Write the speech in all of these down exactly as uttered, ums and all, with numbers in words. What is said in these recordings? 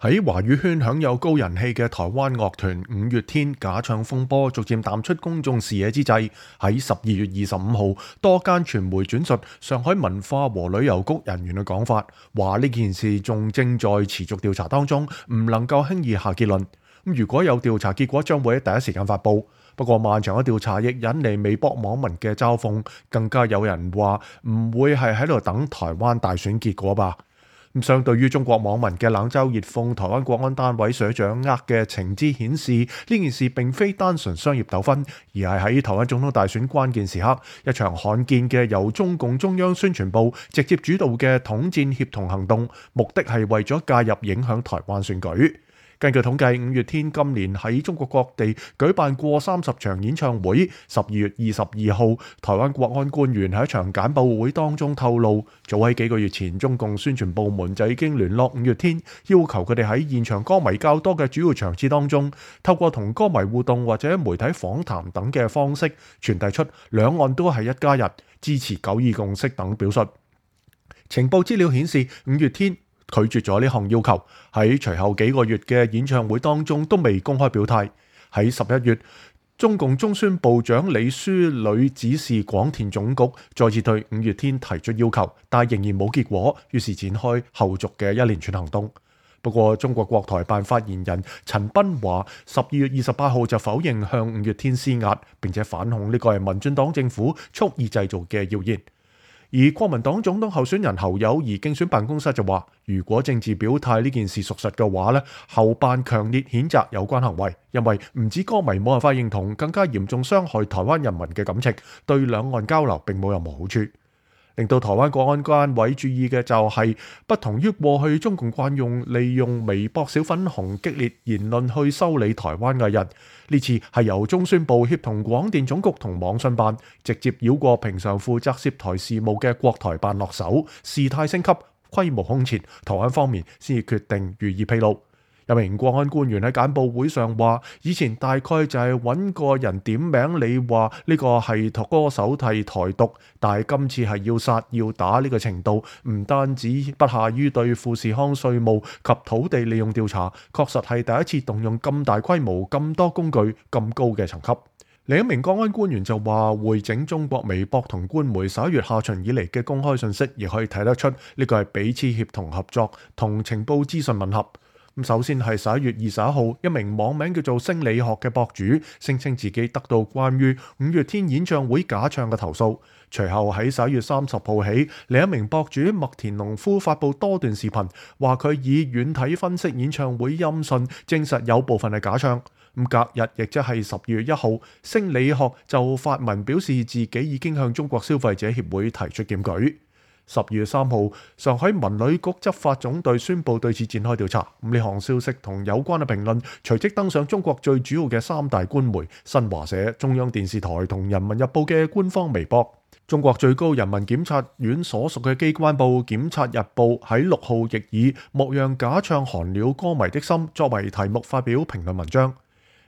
喺華語圈享有高人氣嘅台灣樂團五月天假唱風波逐漸淡出公眾視野之際，喺十二月二十五號，多間傳媒轉述上海文化和旅遊局人員嘅講法，話呢件事仲正在持續調查當中，唔能夠輕易下結論。如果有調查結果，將會喺第一時間發布。不過漫長嘅調查亦引嚟微博網民嘅嘲諷，更加有人話唔會係喺度等台灣大選結果吧。相對於中國網民嘅冷嘲熱諷，台灣國安單位所掌握嘅情資顯示，呢件事並非單純商業糾紛，而係喺台灣總統大選關鍵時刻，一場罕見嘅由中共中央宣傳部直接主導嘅統戰協同行動，目的係為咗介入影響台灣選舉。根據統計，五月天今年喺中國各地舉辦過三十場演唱會。十二月二十二號，台灣國安官員喺一場簡報會當中透露，早喺幾個月前，中共宣傳部門就已經聯絡五月天，要求佢哋喺現場歌迷較多嘅主要場次當中，透過同歌迷互動或者媒體訪談等嘅方式，傳遞出兩岸都係一家人，支持九二共識等表述。情報資料顯示，五月天拒絕咗呢項要求，喺隨後幾個月嘅演唱會當中都未公開表態。喺十一月，中共中宣部長李書磊指示廣電總局再次對五月天提出要求，但仍然冇結果，於是展開後續嘅一連串行動。不過，中國國台辦發言人陳斌華十二月二十八號就否認向五月天施壓，並且反控呢個係民進黨政府蓄意製造嘅謠言。而國民黨總統候選人侯友宜競選辦公室就話，如果政治表態呢件事屬實嘅話呢，侯辦強烈譴責有關行為，因為唔止歌迷冇辦法認同，更加嚴重傷害台灣人民嘅感情，對兩岸交流並冇任何好處。令到台灣國安單位注意嘅就係，不同於過去中共慣用利用微博小粉紅激烈言論去修理台灣藝人，呢次係由中宣部協同廣電總局同網信辦直接繞過平常負責涉台事務嘅國台辦落手，事態升級，規模空前，台灣方面先至決定予以披露。有名國安官員喺簡報會上話，以前大概就係揾個人點名，你話呢個係歌手替台獨，但係今次係要殺要打呢個程度，唔單止不下於對富士康稅務及土地利用調查，確實係第一次動用咁大規模、咁多工具、咁高嘅層級。另一名國安官員就話，匯整中國微博同官媒十一月下旬以嚟嘅公開信息，亦可以睇得出呢個係彼此協同合作同情報資訊吻合。首先係十一月二十一號，一名網名叫做星理學嘅博主聲稱自己得到關於五月天演唱會假唱嘅投訴。隨後喺十一月三十號起，另一名博主麥田農夫發布多段視頻，話佢以軟體分析演唱會音訊，證實有部分係假唱。咁隔日，亦即係十二月一號，星理學就發文表示自己已經向中國消費者協會提出檢舉。十二月三號，上海文旅局執法總隊宣布對此展開調查。咁呢項消息同有關嘅評論隨即登上中國最主要嘅三大官媒新華社、中央電視台同人民日報嘅官方微博。中國最高人民檢察院所屬嘅機關報《檢察日報》喺六號亦以莫讓假唱寒了歌迷的心作為題目發表評論文章。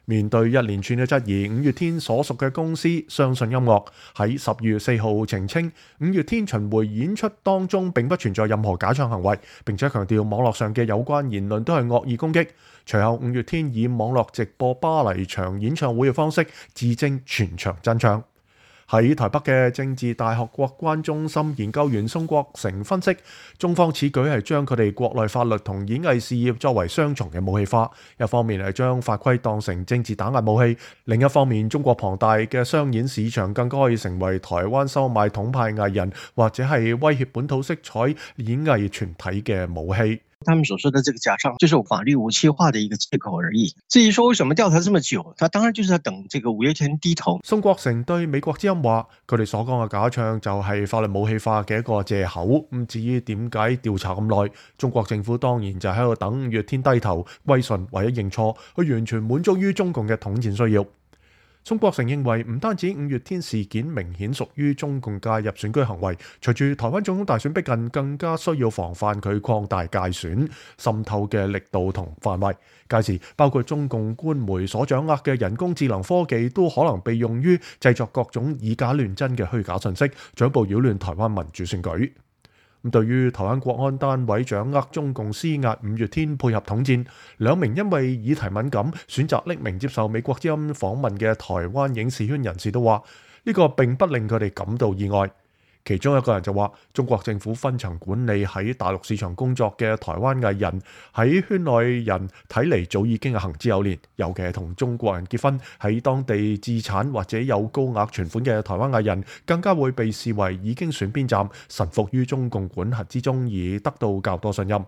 面對一連串嘅質疑，五月天所屬嘅公司相信音樂喺十二月四號澄清，五月天巡迴演出當中並不存在任何假唱行為，並且強調網絡上嘅有關言論都係惡意攻擊。隨後，五月天以網絡直播巴黎場演唱會嘅方式自證全場真唱。喺台北嘅政治大學國關中心研究員宋國成分析，中方此舉係將佢哋國內法律同演藝事業作為雙重嘅武器化，一方面係將法規當成政治打壓武器，另一方面中國龐大嘅商演市場更加可以成為台灣收買統派藝人或者係威脅本土色彩演藝團體嘅武器。他們所說的這個假唱，就是法律武器化的一個借口而已。至於說為什麼調查這麼久，他當然就是要等這個五月天低頭。宋國成對美國之音話，佢哋所講嘅假唱就係法律武器化嘅一個借口。咁至於點解調查咁耐，中國政府當然就喺度等五月天低頭、歸順或者認錯，去完全滿足於中共嘅統戰需要。宋國成認為，唔單止五月天事件明顯屬於中共介入選舉行為，隨住台灣總統大選逼近，更加需要防範佢擴大介選滲透嘅力度同範圍。屆時，包括中共官媒所掌握嘅人工智能科技，都可能被用於製作各種以假亂真嘅虛假信息，進一步擾亂台灣民主選舉。咁對於台灣國安單位掌握中共施壓五月天配合統戰，兩名因為議題敏感選擇匿名接受美國之音訪問嘅台灣影視圈人士都話，呢個並不令佢哋感到意外。其中一個人就話，中國政府分層管理喺大陸市場工作嘅台灣藝人喺圈內人睇嚟早已經係行之有年，尤其係同中國人結婚喺當地置產或者有高額存款嘅台灣藝人，更加會被視為已經選邊站，臣服於中共管轄之中，而得到較多信任。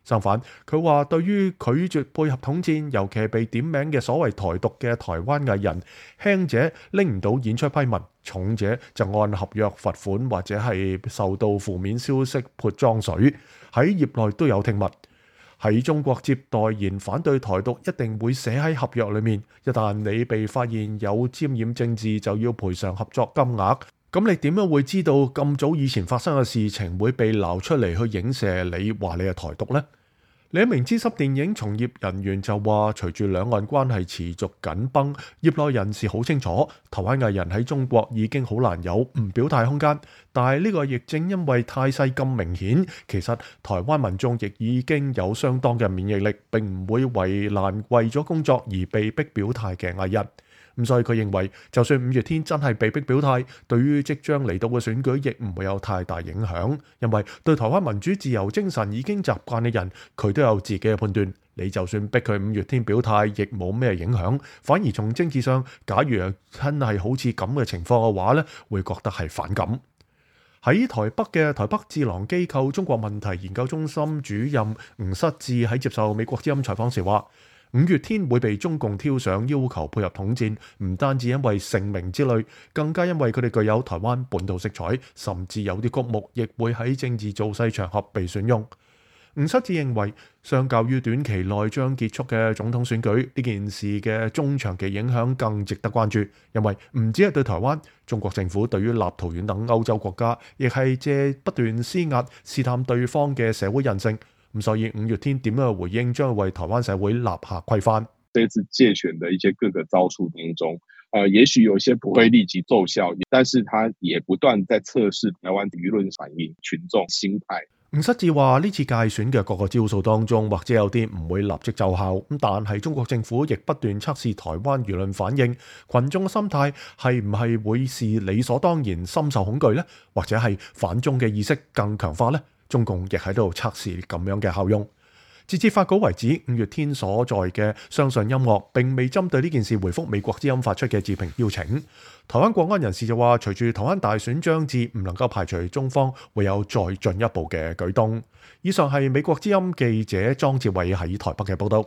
相反，佢話對於拒絕配合統戰，尤其係被點名嘅所謂台獨嘅台灣藝人，輕者拎唔到演出批文，重者就按合約罰款或者係受到負面消息潑髒水。喺業內都有聽聞，喺中國接代言反對台獨一定會寫喺合約裏面，一旦你被發現有沾染政治，就要賠償合作金額。咁你點樣會知道咁早以前發生嘅事情會被撈出嚟去影射你話你係台獨呢？另一名資深電影從業人員就話，隨住兩岸關係持續緊繃，業內人士好清楚，台灣藝人喺中國已經好難有唔表態空間。但係呢個亦正因為態勢咁明顯，其實台灣民眾亦已經有相當嘅免疫力，並唔會為難為咗工作而被逼表態嘅藝人。咁所以佢認為，就算五月天真係被逼表態，對於即將嚟到嘅選舉亦唔會有太大影響，因為對台灣民主自由精神已經習慣嘅人，佢都有自己嘅判斷。你就算逼佢五月天表態，亦冇咩影響。反而從政治上，假如真係好似咁嘅情況嘅話呢，會覺得係反感。喺台北嘅台北智囊機構中國問題研究中心主任吳失智喺接受美國之音採訪時話，五月天會被中共挑上要求配合統戰，唔單止因為盛名之類，更加因為佢哋具有台灣本土色彩，甚至有啲曲目亦會喺政治造勢場合被選用。吳失智認為，相較於短期內將結束嘅總統選舉，呢件事嘅中長期影響更值得關注，因為唔止係對台灣，中國政府對於立陶宛等歐洲國家，亦係借不斷施壓試探對方嘅社會韌性。咁所以五月天點樣嘅回應，將會為台灣社會立下規範。這次借權的一些各個招數當中，呃，也許有一些不會立即奏效，但是它也不斷在測試台灣輿論反應、群眾心態。吳失智話：呢次界選嘅各個招數當中，或者有啲唔會立即奏效，咁但係中國政府亦不斷測試台灣輿論反應，群眾嘅心態係唔係會是理所當然深受恐懼呢？或者係反中嘅意識更強化呢？中共亦喺度測試咁樣嘅效用。截至發稿為止，五月天所在嘅相信音樂並未針對呢件事回覆美國之音發出嘅置評邀請。台灣國安人士就話，隨住台灣大選將至，唔能夠排除中方會有再進一步嘅舉動。以上係美國之音記者莊志偉喺台北嘅報道。